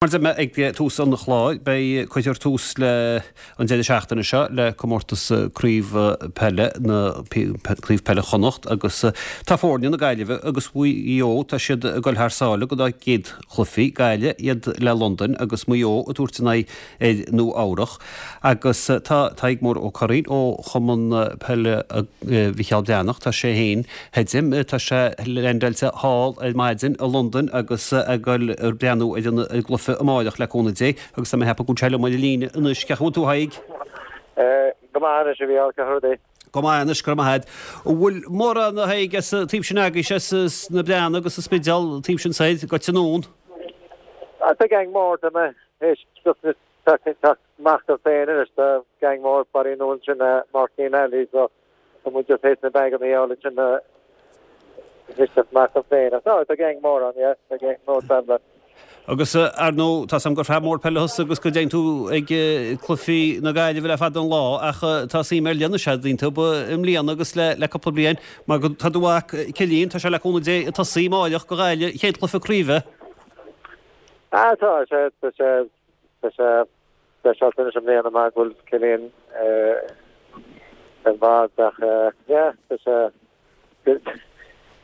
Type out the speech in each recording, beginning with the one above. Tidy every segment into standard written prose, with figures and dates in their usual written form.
Mar a dúirt mé ag tús an chláir, beidh, cuirfear tús le an deireadh seachtaine seo le comórtas Craobh Peile na Craobh Peile Chonnacht agus tá foirne na Gaillimhe agus Mhaigh Eo, tá siad ag dul thar sáile go dá gcéad chluichí, Gaillimh, iad le Londain agus Maigh Eo ag tabhairt a n-aghaidh ar Nua Eabhrach. Agus tá Tadhg Mór Ó Curraoin ó Chumann Peile Mhicheál Breathnach, tá sé féin Feidhm, tá sé leaindeáilte thall ar maidin i Londain agus ag goil ag breathnú ar an gcluiche amáireach le cúnamh Dé agus tá mé ag ceapadh go bhfuil sé liom ar an líne anois. Cén chaoi a bhfuil tú a Thaidhg? Go maith anois a Mhícheál, cén chaoi. Go maith anois, go raibh maith agat. An bhfuil mórán a Thaidhg as an taobh sin agaibhse, as na Breathnaigh agus an Spidéal, an taobh sin soir, gaibhte anonn? Tá gang mór, tá mé théis teacht amach dom féin anois, tá gang mór Barry Nolan sin, Máirtín Alley, so Tá muid just théis na baganna a fháil ansin isteach amach dom féin. Ach no, tá gang mór ann, yeah, tá gang mór traveller. Agus ar ndóigh, tá 's a'm gur fear mór peile thusa agus go dtéann tú ag cluichí na Gaillimhe le fada an lá ach tá suim ar leith anois a'd iontu i mbliana agus le cúpla bliain mar go tá do mhac Cillian, tá sé le cúnamh Dé ag tosaí amáireach go Ghaillimh, chéad chluiche craoibhe. Ah tá sé, tá sé, tá sé. Speisialta anois i mbliana mar go bhfuil Cillian ar an bhord ach yeah tá sé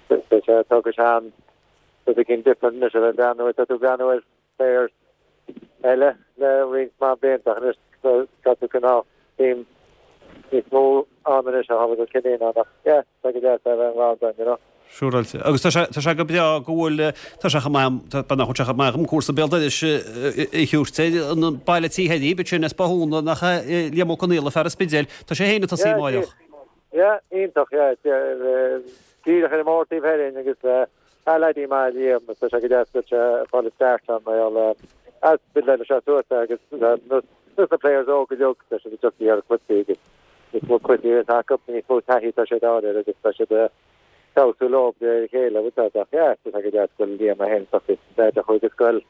tá sé tógfaidh sé am rud éigin different anois a bheith ag breathnú tá tú ag breathnú ar players eile le roinnt maith blianta ach anois tá tú cineál team níos mó ann anois ó tharla go bhfuil Cillian ann ach yeah Tá go deas a bheith involved ann, you know. Siúráilte. Agus tá sé, tá sé go breá go bhfuil, tá sé chomh maith, tá, nach bhfuil sé chomh maith agam cúrsa béal dorais a thabhairt air, an baile tí Thoirí, bit sin as Bothúna, nach é Liam Ó Conaola, fear an Spidéil, tá sé féin ag tosaí amáireach. Yeah, iontach, yeah, díreach ar an mbóthar taobh thoir dhinn agus ah leaidí maith Liam, tá sé go deas go bhfuil sé ag fáil a start ann, mar gheall, as bit leis sé suas agus nós na players óga uilig, tá siad ag teacht ar cluichí agus níos mó cluichí atá acu, níos mó taithí atá siad a fháil air agus tá siad ag feabhsú leo de réir a chéile, bhfuil a fhios agat. Ach yeah, tá sé go deas go bhfuil Liam é féin tosaí, leaid a chuaigh go scoil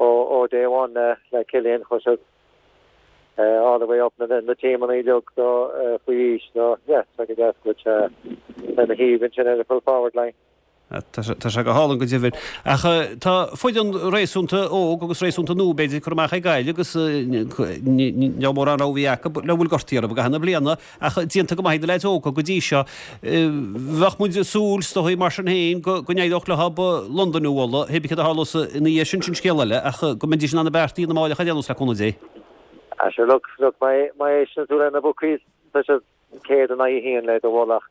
ó ó day one le le Cillian, chuaigh siad all the way up na na teamanna uilig so faoi aois so yeah, tá sé go deas go bhfuil sé lena thaobh ansin ar an full forward line. Tá sé go hálainn go deimhin. Ach tá foireann réasúnta óg agus réasúnta nua, b'fhéidir, curtha amach ag Gaillimh agus ní raibh mórán rogha acu le bhfuil gortaithe orthu i gcaitheamh na bliana ach déanta go maith ag na leaids óga go dtí seo. Bheadh muid ag súil, is dóigh, mar sin féin, go n-éireodh leo Londain a bhualadh, hé bí céard a tharlós ina dhiaidh sin, sin scéal eile, ach go mbeidís in ann na bearta a dhéanamh amáireach ar aon nós le cúnamh Dé. Ah sure, look, look, má éisteann tú le na bookies, tá siad 100 in aghaidh a haon le do mhullach.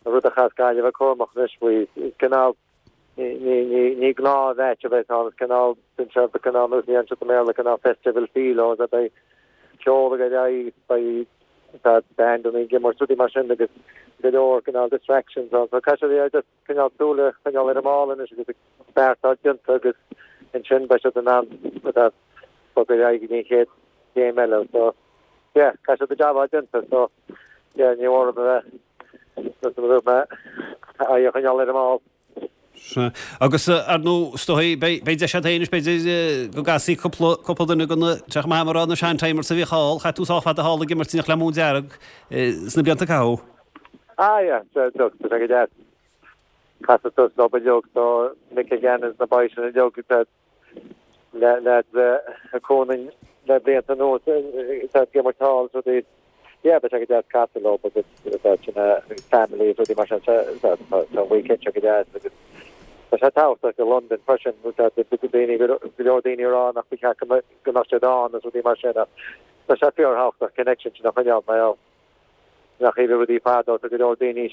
An rud a chaithfeas Gaillimh a bheith cúramach anois faoi, is cineál, ní gnáth mheaits a bheas ann, is cineál, bíonn sé cineál nós a dhéanann siad i mBéarla, cineál festival feel ó, beidh ceol ag ar aghaidh, beidh tá bandanna ag imirt, rudaí mar sin agus go leor cineál distractions ann. So caithfidh siad just cineál súil a choinneáil ar an mball anois agus an beart atá déanta agus ansin beidh siad in ann bogadh ar aghaidh go dtí an chéad chéim eile. So yeah, caithfidh siad a jab a fháil déanta. So Yeah, ní mór a bheith aghaidh a choinneáil ar an mball. Sea. Agus, ar ndóigh, is dóigh, beidh deis agat féin anois, b'fhéidir, go gcasfaí cúpla, cúpla duine de na, tá sé chomh maith agam a rá, na sean-timers a bhíodh thall, chaith tú sách fada thall ag imirt in éineacht le Móin Dearg sna blianta a caitheadh. Ah, yeah, look, tá sé go deas. Casadh suas leo uilig, so Mick Gannon is na boys sin uilig, leaids a chonaic le blianta anuas tá ag imirt thall is rudaí yeah beidh sé go deas casadh leo agus tá sin family is rudaí mar sin tá an weekend seo go deas agus tá sé tábhachtach i Londain freisin tá daoine go leor daoine ag rá nach ba cheart go mbeadh siad ann is rudaí mar sin ach tá sé fíorthábhachtach connection sin a choinneáil mar gheall nach iad rudaí fadó, tá go leor daoine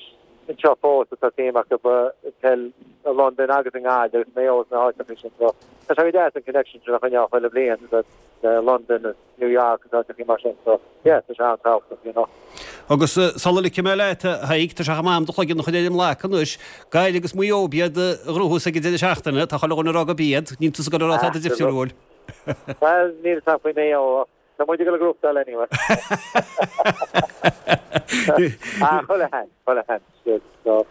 anseo fós atá suim acu i peil i Londain agus i nGaillimh agus Mayo agus na háiteacha sin so tá sé go deas an connection sin a choinneáil chuile bhliain le Londain agus New York agus áiteacha mar sin so yeah tá sé an-tábhachtach you know. Agus sula ligfidh mé leat, a Thaidhg, tá sé chomh maith agam do chloigeann a chur ar an mblac anois. Gaillimh agus Maigh Eo iad a ghnóthós ag an deireadh seachtaine, tá chuile dhuine ag rá gurb iad, níl tusa ag dul a rá tada difriúil. Bhuel, níl a fhios agam faoi Mayo ach Tá muid ag dul ag gnóthachtáil anyway. Ah, chuile sheans, chuile sheans. So,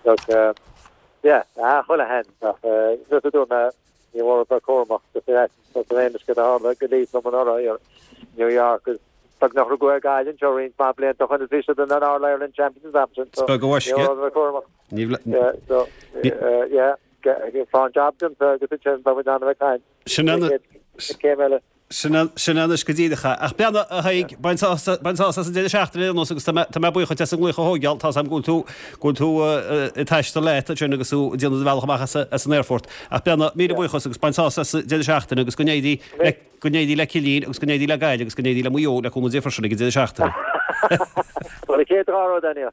look, um, yeah, ah, chuile sheans. Ach, uh, just a dúirt mé, ní mór a bheith cúramach just ar ais san aon uisce a tharla go Leeds liom anuraidh i New York agus beagnach rugadh ar Gaillimh anseo roinnt maith blianta ó shin is bhí siad in an All Ireland Champions am sin. So, Beag a ní mór a bheith cúramach. Ní Yeah, so, uh, yeah. Faigh an jab déanta agus ansin beidh muid in ann a bheith ag caint. Sin é an chéim eile. Sin é anois go díreach é. Ach beannacht, a Thaidhg, bain sásamh as an deireadh seachtaine ar aon nós agus tá mé buíoch duit as an nglaoch a thóigeáil. Tá's agam go bhfuil tú, go bhfuil tú ag taisteal leat ansin agus tú ag déanamh do bhealach amach as an aerfort. Ach beannacht, míle buíochas agus bain sásamh as an deireadh seachtaine agus go n-éirí le, go n-éirí le Cillín agus go n-éirí le Gaillimh agus go n-éirí le Maigh Eo le cúnamh Dé freisin ag an deireadh seachtaine. Bhuel, an chéad rud, Daniel.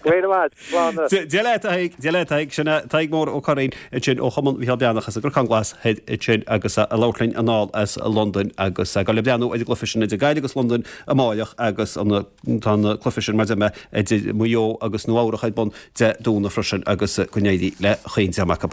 Go raibh maith. Dia leat, a Thaidhg, Dia leat, a Thaidhg. Sin é Tadhg Mór Ó Curraoin ansin ó Chumann Mhicheál Breathnach as an gCnocán Glas thoir ansin agus ag labhairt linn anall as Londain agus ag dul ag breathnú ar an gcluiche sin idir Gaillimh agus Londain amáireach agus an tá an cluiche sin mar a deir mé idir Maigh Eo agus Nua Eabhrach ar bun Dé Domhnaigh freisin agus go n-éirí le chaon dream acu.